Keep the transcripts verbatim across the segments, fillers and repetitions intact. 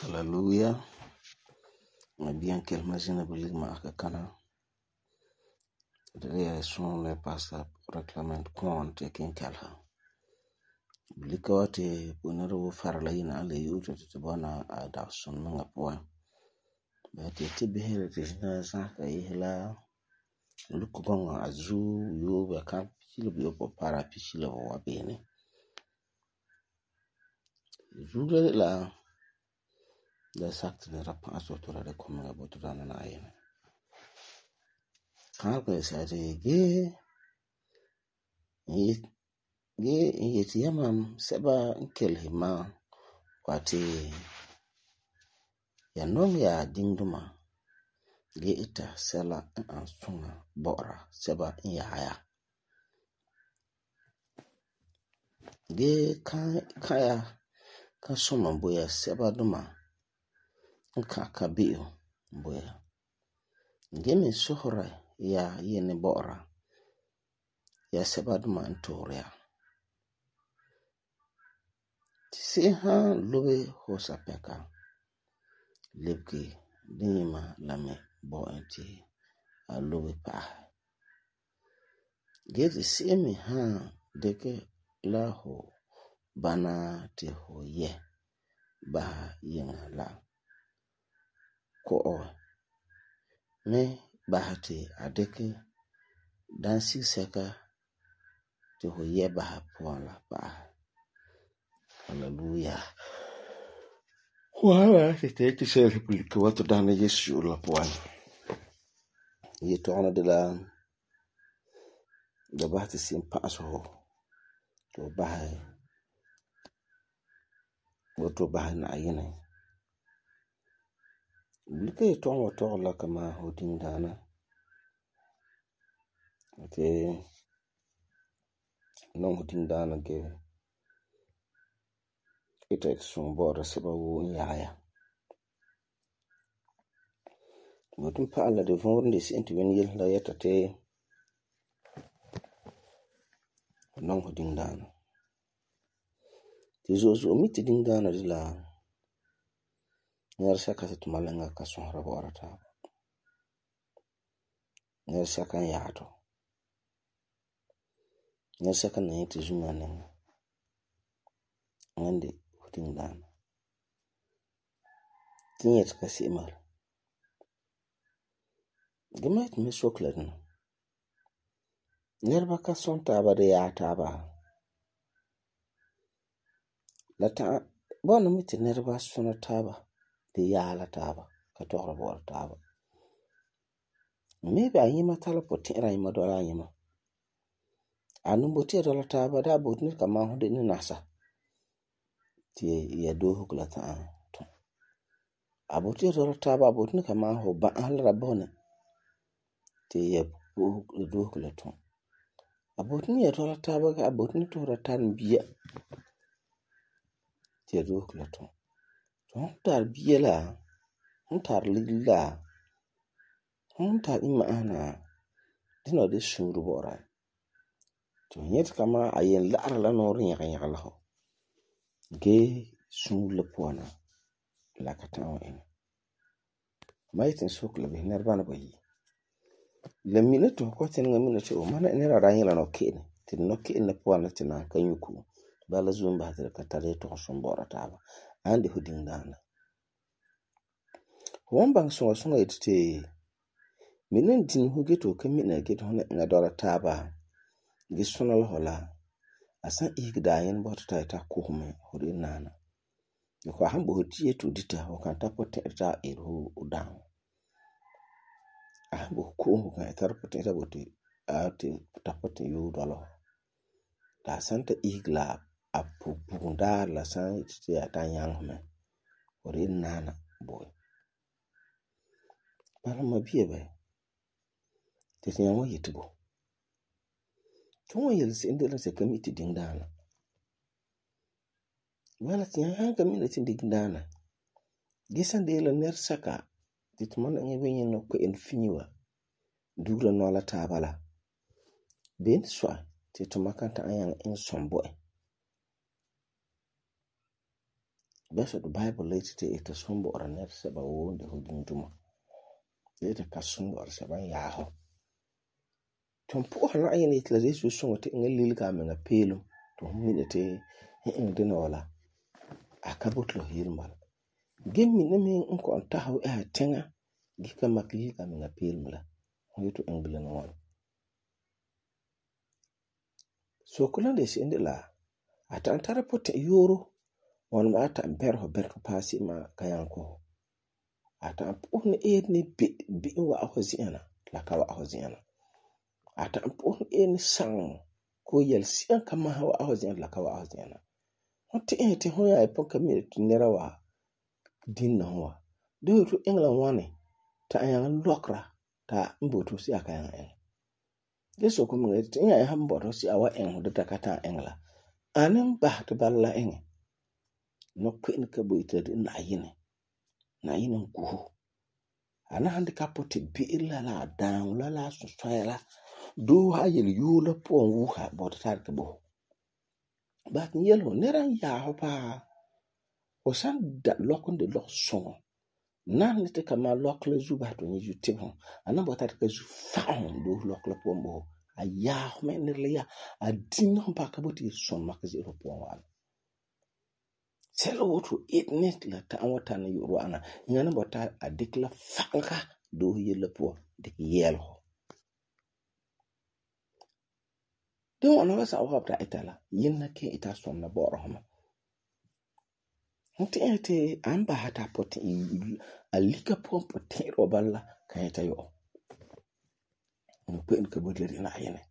Hallelujah. Ma bien kelma zina bilig ma aka kana. Det är son le pastor reclament kon te kin kalha. Bilika wati bunara wo farla yina ala yuta te bana a da son nga poa. Ba te te behele te jina sa ka yihla luku gonga azu yo ba kan pili bi po para pili wa bene. Zule la da sakte ne rapa aso to la de komanga boto dana na ayene. Kanka sa te ge ge yeti yamam seba nkelhi ma wati ya nom ya dingduma ge ita sela an sunga bora seba nyaya. Ge kan kaya ka soma boya seba duma nka ka biyo boya. Ge min sohra ya yene bora ya seba duma ntoria. Tisi ha lobe hosa peka lebki dinima lame bo enti a lobe pa. Ge tisi mi ha deke la ho bana te ho ye ba yenga la ko o me bahati adeke dansi seka te ho ye ba puan la pa. Hallelujah. Wala te te te se republika wato dana Yesu la puan. Ye tona de la da bahati sim paso ho to bahay wato bahay na ayene. Bilika ye tona wato la kama hodin dana. Ate non hodin dana ge ita sun bora seba wo nyaya. Wato pa ala de von de senti wen yel la yeta te non hodin dana. Ti zo zo miti ding dana de la ngar saka se tumalanga ka sonra bora ta. Ngar saka yato. Ngar saka na yeti zumane. Ngande hodin dana. Tinyet ka si mar. Gemet me soklen. Nerba ka son taba de ya taba. La ta bona miti nerba sona taba de ya la taba ka tohra bora taba. Maybe ayima tala poti ra yima dola yima. Anu boti dola taba da botni ka ma hode ni nasa. Ti ya do hukla ta to. Aboti dola taba botni ka ma ho ba halra bone. Ti ya do hukla to. Abotni ya dola taba ka abotni to ra tan biya. Ti ya do hukla to. To tar biya la, tar ligla. Tar ima ana dina de shuru bora. To nyet kama ayen la'ara la nori nyaka nyaka la ho. Ge shuru le puana la katawa ina. Maitin sokla bi nerbana bayi. Le minute ko tin nga minute o mana nera ranyi la no kene. Tin no kene puana tina kanyuku. Bala zumba hatire katare to sombora taba. Andi hoding dana. Wambang sunga sunga itite minen din hugeto kamina get hona nga dora taba gisuna la hola asan igda yen bota ta ta kuhume hori nana ko hambo hotie to dita o kan ta pote ta eru udan hambo ko kan ta pote ta bote ate ta pote yu dolo ta santa igla apu bunda la san itite ata yang me o de naana bo. Bala ma bia ba. Te tiyan wa yeti bo. Tun wa yel se'em de la se kami ti ding daana. Wala tiyan han kami na ti ding daana. Gisan de la ner saka ti tumana nge wenye no ko en finiwa. Dura no la ta bala. Ben swa ti tumakanta ayang en sombo. Besa the Bible later te ita sombo ora ner seba wo de hodin duma. Ita ka sombo ora seba yaho. Tumpo hala ayang itla desu songo te nge lilga menga pelum. Tumine te en dina wala. Akabutlo hirmal. Gemi nemi nko antahaw eh tenga. Gika maklilga menga pelum la. Yutu engbilan wan. So kulan de si indi la. Ata antara pote yoro. Wan ma ata berho berho pasi ma kayanko. Ata ampuhne edni bi bi wa ahoziana. Laka wa ahoziana. Ata ampuhne edni sang. Ko yel siyan kamaha wa ahoziana laka wa ahoziana. Hote eh te hoya epon kamire tu nera wa. Din na hoa. Do tu England wane. Ta ayang lokra. Ta mbotu si akayang eng. Yeso kumunga te inga ya mbotu si awa eng. Data kata engla. Anem bah te bala eng. No kwen ka boite de na yine. Na yine nguhu. Ana handi kapote bi'ila la down la la suswela. Do ha yel yula po wuha bota tar ka bo. But yelo neran ya hopa. O san da lokon de lok songo. Nan nite kama lok le zuba to ni jutim hon. Ana bota tar ka zu faon do lok la po mbo. A ya home nirle ya. A din hon pa ka boti son makazi ro po wan. Selo wotu etnet la ta awata na yoro ana. Ingana bota a dikla fanka do yela po dik yelo. Don wana wasa awabta itala. Yena ke ita som na boro hama. Nti ete amba hata pote alika po pote robala kanyata yo. Nukwen kabudleri na ayene.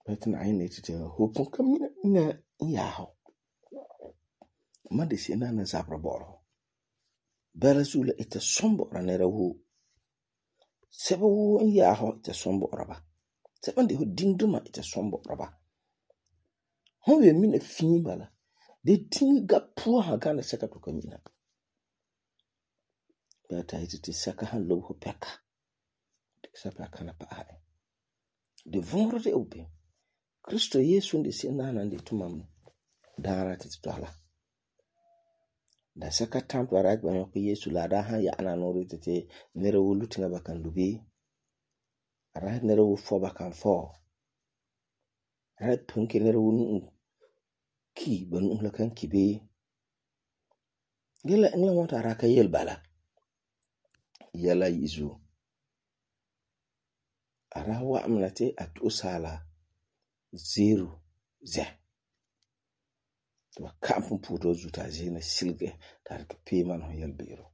Bete na ayene tite hupon kamina na yaho. Madi si na na zabra boro. Bela zula ita sombo ranera wu. Seba wu yaho ita sombo raba. Seba ndi hu dingduma ita sombo raba. Honwe mine fin bala. De tinga puwa hagana saka tuka mina. Bata iti ti saka han lobo peka. De sapa kana pa ae. De vongro de upe. Kristo Yesu ndi si nana ndi tumam dara titi tuala. Da saka tampa raj banyo ko Yesu la da han ya ananori titi nere wu lutinga bakan lubi. Raj nere wu fo bakan fo. Raj punke nere wu nung ki banu umla kan kibe. Gila engla wata raka yel bala. Yala yizu. Ara wa amnate atu sala. Zero. Ze. Tuwa kampun puto zuta zina silge. Tariki payman ho yel biro.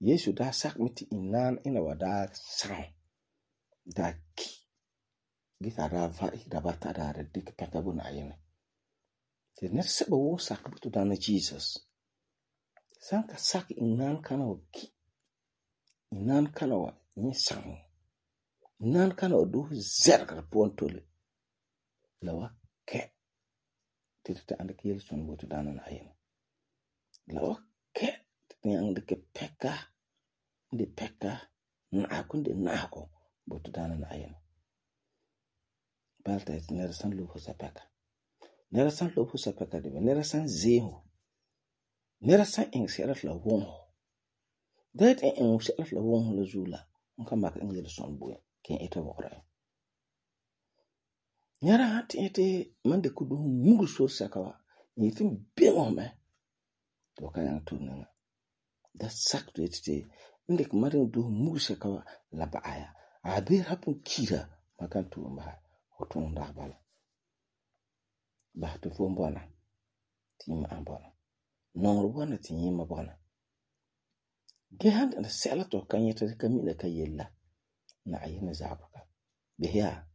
Yesu da sak miti inan ina wada sang. Da ki. Gita rava idabata da redik pekabu na ayene. Se net seba wo sak butu dana Jesus. Sanka sak inan kana wa ki. Inan kana wa ni sang. Inan kana wa duhu zerga pontole. Lawa ke. Titita anda ki yelson butu dana na ayene. Lawa ke. Titita anda ke peka. Ndi peka. Na akunde na ako butu dana na ayene. Balta iti nera san lupo sa peka. Nera san lupo sa peka dibe. Nera san zeho. Nera san ing serat la wonho. Dat en ing serat la wonho la zula. Nka maka ing yelson buye. Ken ita wakra. Nera hati iti mande kudu mungu sur sakawa. Nitim bengo me. Toka yang tu nanga. Da sak tu iti. Inde kumaring du mungu sakawa la baaya. Abir hapun kira. Makan tu mbaha. Otong dah bala. Bah tu fo mbona. Tima ambona. Nongro bona ti nyima bona. Gehand na sela to kanyeta kamila kayella. Na ayina zabaka. Behya.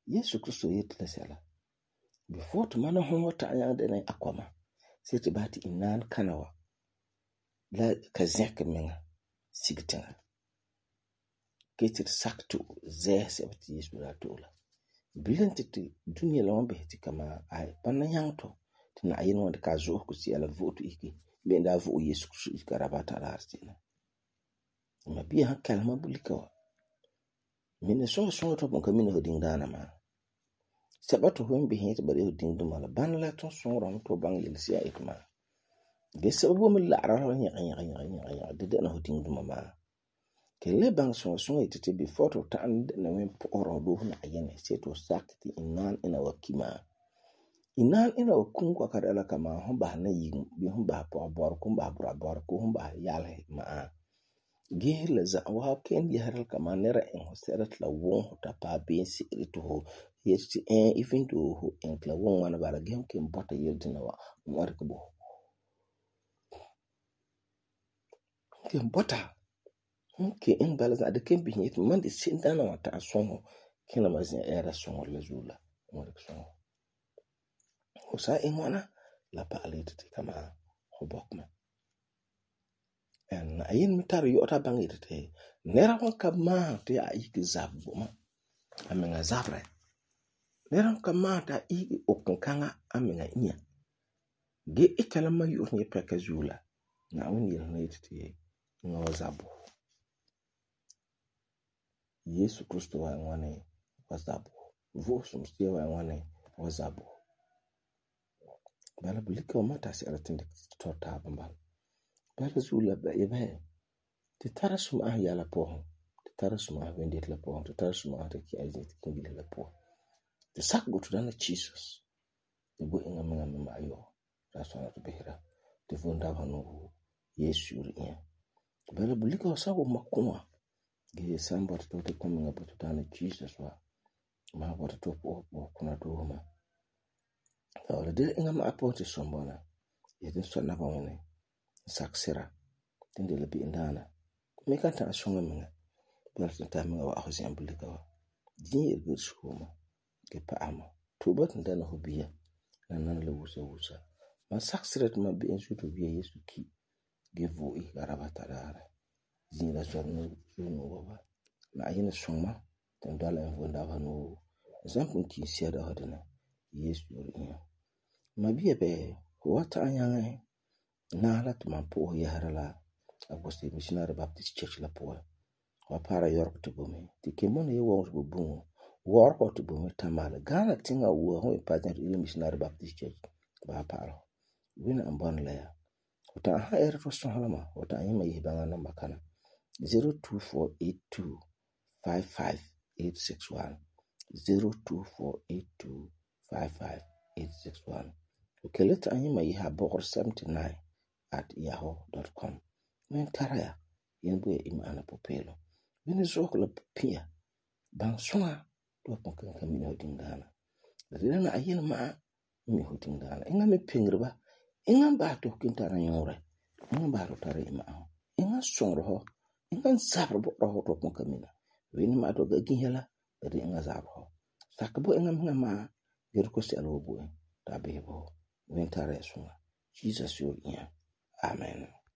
Yesu Kristo yetla sela. Before to mana hon wata ayang de na akwama. sai te ba ti inaan kana wa la ka zɛka menga sig tiŋa. Ge te sak to zɛɛ sɛba ti Yesu daa to'e la. Bilam te te dunia la wan bisɛ ti kama ai bana nyaŋɛ to ti Na'ayinɛ wan dikɛ a zo'osego si'a la vo'e to isege be'em daa vo'e Yesu Krista isege a rabata daarɛ se'em. Ma bia han kalema bulika wa. Mina soŋa soŋa to pon ka mina ho diŋdaana maa. Sɛba to hon bisɛ ti ba de ho diŋduma la bana la ton soŋora hon to baŋɛ yelesi'a ite maa. Ge sɛba bo me la'ara la nyɛga nyɛga nyɛga nyɛga nyɛga de dɛna ho diŋduma maa. Ke le baŋɛ soŋa soŋa ite te before to ta'am dɛna wen pɔ'ɔra ho doohe Na'ayinɛ sai to sakɛ ti inaan ina wa ki maa. Inaan ina wa kum kwa ka dɛla kama hon bahɛ na yigum bii hon bahɛ pɔgɔbɔrɛ hon bahɛ burabɔrɛ ko hon bahɛ yalehe maa. Ge la za'a waa ken yɛsera kama nɛra iŋɛ ho sɛla ti la wuŋ ho ta paɛ beem se'ere to ho yeti ɛɛ even though ho iŋɛ ti la wuŋ ŋwana bala ge hon ken bɔta yele dina wa n wan dikɛ bo ho. Ken bɔta hon ken iŋɛ bala za'a de ken bisɛ yeti man de se'em daana wa ta'am sɔŋ ho kena ma zi'an ɛɛra sɔŋɔrɔ la zuo la n wan dikɛ sɔŋ ho. Ho san iŋɛ ŋwana la pa'alɛ yeti kama ho bɔkɛ mɛ. En Na'ayinɛ me tari yɔ'ɔta baŋɛ yeti ti nɛra wan ka maahum ti a isege zabɛ bo ma, a miŋa zaberɛ. Nɛra wan ka maahum ti a isege okinkaŋa a miŋa inya. Ge ita la ma yu'urɛ nyɛ pɛka zuo la, Na'ayinɛ yele na yeti ti eŋa wa zabɛ bo ho. Yesu Krista wa ŋwani wa zabɛ bo ho. Vo'osum Sea wa ŋwani wa zabɛ bo ho. Bala bulika wa ma ta sɛla ti dikɛ tɔi taaba bala. Bala zuo la yɛbɛɛ ti tara sum'ahum yɛla puan, ti tara sum'ahum wendete la puan, ti tara sum'ahum ti ki'a zeti kinbila la puan. Ti sakɛ bo to Daana Jesus ti bo eŋa miŋa me ma'ayɔ. Ta sɔna ti bisera ti vom dabesa nuu Yesu yuri inya. Bala bulika wa san wum ma ku'a ge san bɔta ti ti kɔm miŋa bo to Daana Jesus wa, ma bɔta ti fu kuna doohe ma. La de eŋa ma'a puan ti sɔm bɔna. Yeti sɔna naba ŋwani saksira tin de la be'em daana. Me kan ta'am sɔŋa miŋa. Bala tin ta miŋa wa'ahu zi'an bulika wa. Din yele suuma ge pa'ama. Tuuba tin dɛna ho bia la nana la wusa wusa. Ma saksira ti ma be'em zuo to bia Yesu ki ge vo'e isege a rabata daarɛ. Din la zɔrɔ zuo nu'o wa. Na'ayinɛ sɔŋ ma tin dɔla en vom dabesa nuu. Zan pugum ki sia dɔsa dina Yesu yuri inya. Ma bia bɛ ho wa ta'am nyaŋɛ naɛ la ti man po'ohɛ yɛsera la Agbosi Missionary Baptist Church la puan. Wa para yɔrɔgɔ ti bo me. Ti kemona ye wɔŋɔ ti bo buŋo. Wɔrɔgɔ ti bo me Tamale. Ghana tiŋa wua hon Pageant Missionary Baptist Church ba pa'ala. Wina an bɔna la ya. Ho ta'am ha ɛɛra to sɔsela ma, ho ta'am yima yese baŋa namba kana zero two four eight two five five eight six one zero two four eight two five five eight six one. Ho kele ta'am yima yese abɔgere seventy-nine at yahoo dot com. Men tara ya yen bo ya imana popelo. Wini zɔk la pia ban soŋa to pon kan kan mina ho diŋdaana. La de na ayena ma'a mi ho diŋdaana. Inga me pengre ba. Inga ba to kin tara nyore. Inga ba to tara ima'a. Inga soŋro ho. Inga zabro bo ho to pon kan mina. Wini ma to ga ginhela la de inga zabro ho. Sakabo inga minga ma yer ko sel wo bo ta be bo. Wini tara ya soŋa. Jesus yuri inya. Amen.